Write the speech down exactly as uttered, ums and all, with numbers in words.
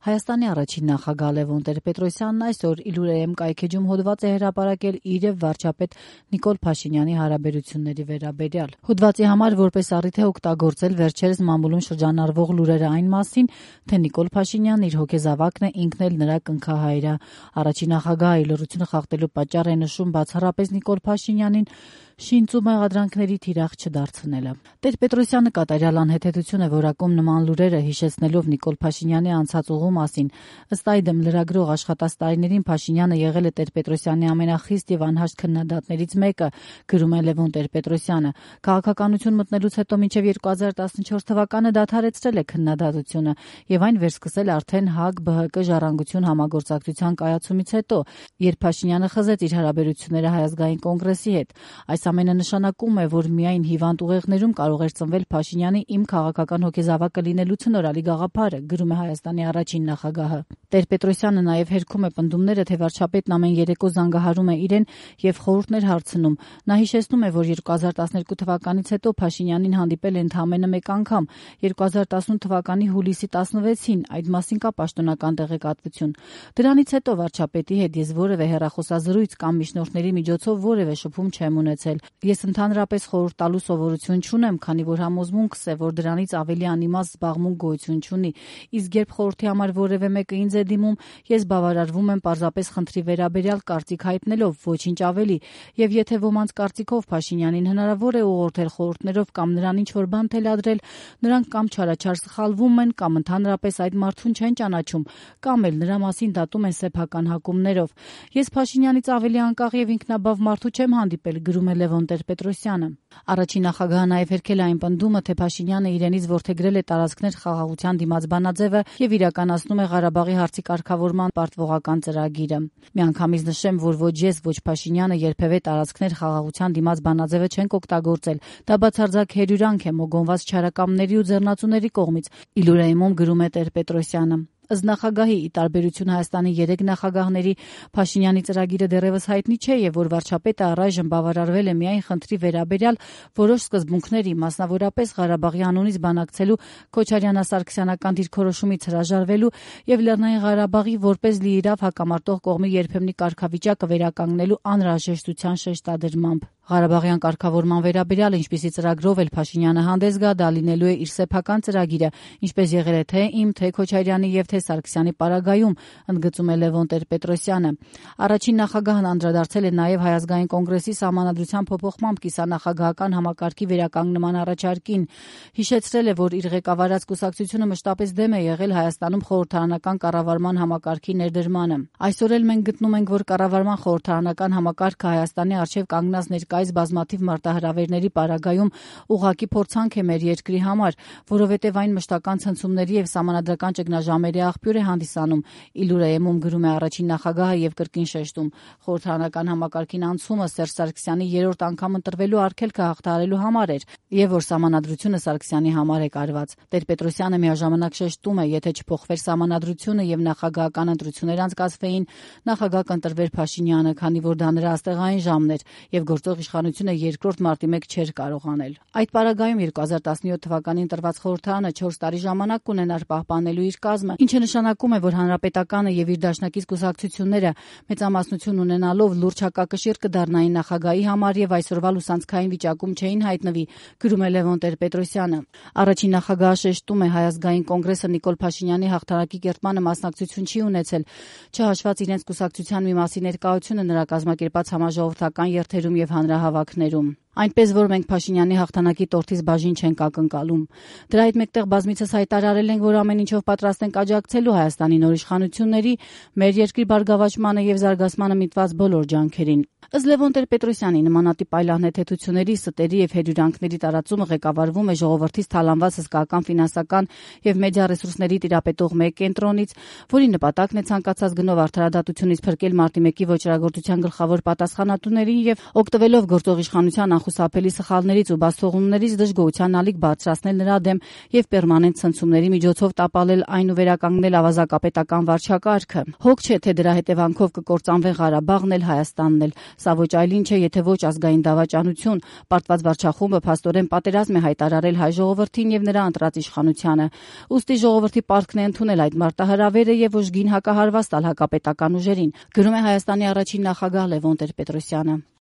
Հայաստանի առաջին նախագահ Լևոն Տեր-Պետրոսյանն այսօր Իլուրեեմ կայքեջում հոդված է հրապարակել իր եւ վարչապետ Նիկոլ Փաշինյանի հարաբերությունների վերաբերյալ։ Հոդվածի համար որպես առիթ է օգտագործել վերջերս մամուլում շրջանառվող լուրերը այն մասին, թե Նիկոլ Փաշինյանն իր հոգեզավակն է, ինքն էլ նրա կնքահայրը։ Առաջին նախագահը ի լռություն խախտելու պատճառ է նշում բացառապես Նիկոլ Փաշինյանին շինծ ու մեղադրանքների թիրախ չդարձնելը։ Տեր-Պետրոսյանը կատարյալ անհեթեթություն է որակում նման լուրերը, հիշեցնելով Նիկոլ Փաշինյանի անցած ուղու մասին։ Ըստ այդմ լրագրող աշխատած տարիներին Փաշինյանը եղել է Տեր-Պետրոսյանի ամենախիստ եւ անհաշտ քննադատներից մեկը, գրում է Լևոն Տեր-Պետրոսյանը։ Քաղաքականություն մտնելուց հետո մինչեւ երկու հազար տասնչորս թվականը դադարեցրել է քննադատությունը եւ այն վերսկսել արդեն ՀԱԿ-ԲՀԿ ժառանգություն համագործակցության կայացումից հետո, երբ Փաշինյանը խզեց իր հարաբերությունները Հայազգային կոնգրեսի հետ։ Այս ամենը նշանակում է, որ միայն հիվանդ ուղեղներում կարող էր ծնվել Փաշինյանի իմ քաղաքական հոգեզավակը լինելու ցնորալի գաղափարը, գրում է Հայաստանի առաջին նախագահը։ Տեր-Պետրոսյանը նաև հերքում է պնդումները, թե վարչապետն ամեն երեկո զանգահարում է իրեն եւ խորհուրդներ հարցնում։ Նա հիշեցնում է, որ երկու հազար տասներկու թվականից հետո Փաշինյանին հանդիպել է ընդամենը մեկ անգամ՝ երկու հազար տասնութ թվականի հուլիսի տասնվեցին, այդ մասին կա պաշտոնական տեղեկատվություն։ Դրանից հետո վարչապետի հետ ես որևէ հեռախոսազրույց կամ միջնորդների միջոցով որևէ շփում չեմ ունեցել։ Ես ընդհանրապես խորհուրդ տալու սովորություն չունեմ, քանի որ համոզմունքս է, որ դրանից ավելի անիմաստ զբաղմունք գոյություն չունի։ Իսկ երբ խորհրդի համար որևէ մեկը ինձ է դիմում, ես բավարարվում եմ պարզապես խնդրի վերաբերյալ կարծիք հայտնելով, ոչինչ ավելի, եւ եթե ոմանց կարծիքով Փաշինյանին հնարավոր է ուղղորդել խորհուրդներով կամ նրան ինչ-որ բան թելադրել, նրանք կամ չարաչար սխալվում են, կամ ընդհանրապես այդ մարդուն չեն ճանաչում, կամ էլ նրա մասին դատում են սեփական հակումներով։ Ես Փաշինյանից ավելի անկախ եւ ինքնաբավ մարդու չեմ հանդիպել, գրում է Լևոն Տեր-Պետրոսյանը։ Առաջին նախագահը նաև հերքել է այն պնդումը, թե Փաշինյանը իրենից որդեգրել է տարածքներ խաղաղության դիմաց բանաձևը եւ իրականացնում է Ղարաբաղի հարցի կարգավորման պարտվողական ծրագիրը։ Միանգամից նշեմ, որ ոչ ես, ոչ Փաշինյանը երբևէ տարածքներ խաղաղության դիմաց բանաձևը չենք օգտագործել։ Դա բացարձակ հերյուրանք է մոգոնված չարակամների ու ձեռնածուների կողմից, Իլուրեիմում գրում է Տեր-Պետրոսյանը։ Ըստ նախագահի, ի տարբերություն Հայաստանի երեք նախագահների, Փաշինյանի ծրագիրը դեռևս հայտնի չէ եւ որ վարչապետը առայժմ բավարարվել է միայն խնդրի վերաբերյալ որոշ սկզբունքների, մասնավորապես Ղարաբաղի անունից բանակցելու Քոչարյան-Սարգսյանական դիրքորոշումից հրաժարվելու եւ Լեռնային Ղարաբաղի որպես լիիրավ հակամարտող կողմի երբեմնի կարգավիճակը վերականգնելու անհրաժեշտության շեշտադրմամբ։ Ղարաբաղյան կարգավորման վերաբերյալ ինչպիսի ծրագրով էլ Փաշինյանը հանդես գա, դա լինելու է իր սեփական ծրագիրը, ինչպես եղել է թե իմ, թե Քոչարյանի եւ թե Սարգսյանի պարագայում, ընդգծում է Լևոն Տեր-Պետրոսյանը։ Առաջին նախագահն անդրադարձել է նաեւ Հայազգային կոնգրեսի սահմանադրության փոփոխմամբ կիսանախագահական համակարգի վերականգնման առաջարկին։ Հիշեցրել է, որ իր ղեկավարած կուսակցությունը մշտապես դեմ է եղել Հայաստանում խորհրդարանական կառավարման համակարգի ներդրմանը։ Այսօր էլ մենք գտնում ենք, որ կառավարման խորհրդարանական համակարգը Հայաստանի առջև կանգնած ներկայիս բազմաթիվ մարտահրավերների պարագայում ուղղակի փորձանք է մեր երկրի համար, որովհետև այն մշտական ցնցումների եւ սահմանադրական ճգնաժամերի աղբյուր է հանդիսանում, Իլուրեեմում գրում է առաջին նախագահը եւ կրկին շեշտում. խորհրդարանական համակարգին անցումը Սերժ Սարգսյանի երրորդ անգամ ընտրվելու արգելքը հաղթահարելու համար էր եւ որ սահմանադրությունը Սարգսյանի համար է կարված։ Տեր-Պետրոսյանը միաժամանակ շեշտում է, եթե չփոխվեր սահմանադրությունը եւ նախագահական ընտրություններ անցկացվեին, նախագահ կընտրվեր Փաշինյանը, քանի որ դա նրա աստեղային ժամն էր եւ գործող իշխանությունը երկրորդ մարտի մեկ չէր կարող անել։ Այդ պարագայում երկու հազար տասնյոթ թվականին տրված խորհրդարանը չորս տարի ժամանակ կունենար պահպանելու իր կազմը, ինչը նշանակում է, որ հանրապետականը եւ իր դաշնակից կուսակցությունները մեծամասնություն ունենալով լուրջ հակակշիռ կդառնային նախագահի համար եւ այսօրվա լուսանցքային վիճակում չէին հայտնվի, գրում է Լևոն Տեր-Պետրոսյանը։ Առաջին նախագահը շեշտում է, Հայազգային կոնգրեսը Նիկոլ Փաշինյանի հաղթանակի կերտմանը մասնակցություն չի ունեցել, չհաշված իրենց կուսակցության մի մասի ներկայությունը նրա կազմակերպած համաժողովրդական երթերում եւ հանրահավաքներում։ Այնպես որ մենք Փաշինյանի հաղթանակի տորթից բաժին չենք ակնկալում։ Դրա հետ մեկտեղ բազմիցս հայտարարել ենք, որ ամեն ինչով պատրաստ ենք աջակցելու Հայաստանի նոր իշխանությունների, մեր երկրի բարգավաճմանը եւ զարգացմանը միտված բոլոր ջանքերին։ Ըստ Լևոն Տեր-Պետրոսյանի, նմանատիպ այլ անհեթեթությունների, ստերի եւ հերյուրանքների տարածումը ղեկավարվում է ժողովրդից թալանված հսկայական ֆինանսական եւ մեդիա ռեսուրսների տիրապետող մեկ կենտրոնից, որի նպատակն է ցանկացած գնով արդարադատությունից փրկել մարտի մեկի ոչռագործության գլխավոր պատասխանատուներին եւ օգտվելով գործող իշխանության անխուսափելի սխալներից ու բացթողումներից դժգոհության ալիք բարձրացնել նրա դեմ եւ պերմանենտ ցնցումների միջոցով տապալել այն ու վերականգնել ավազակապետական վարչակարգը։ Հոգ չէ, թե դրա հետևանքով կկործանվեն Ղարաբաղն էլ, Հայաստանն էլ։ Սա ոչ այլ ինչ է, եթե ոչ ազգային դավաճանություն։ Պարտված վարչախումբը փաստորեն պատերազմ է հայտարարել հայ ժողովրդին եւ նրա ընտրած իշխանությանը։ Ուստի ժողովրդի պարտքն է ընդունել այդ մարտահրավերը եւ ուժգին հակահարված տալ հակապետական ուժերին, գրում է Հայաստանի առաջին նախագահ Լևոն Տեր-Պետրոսյանը։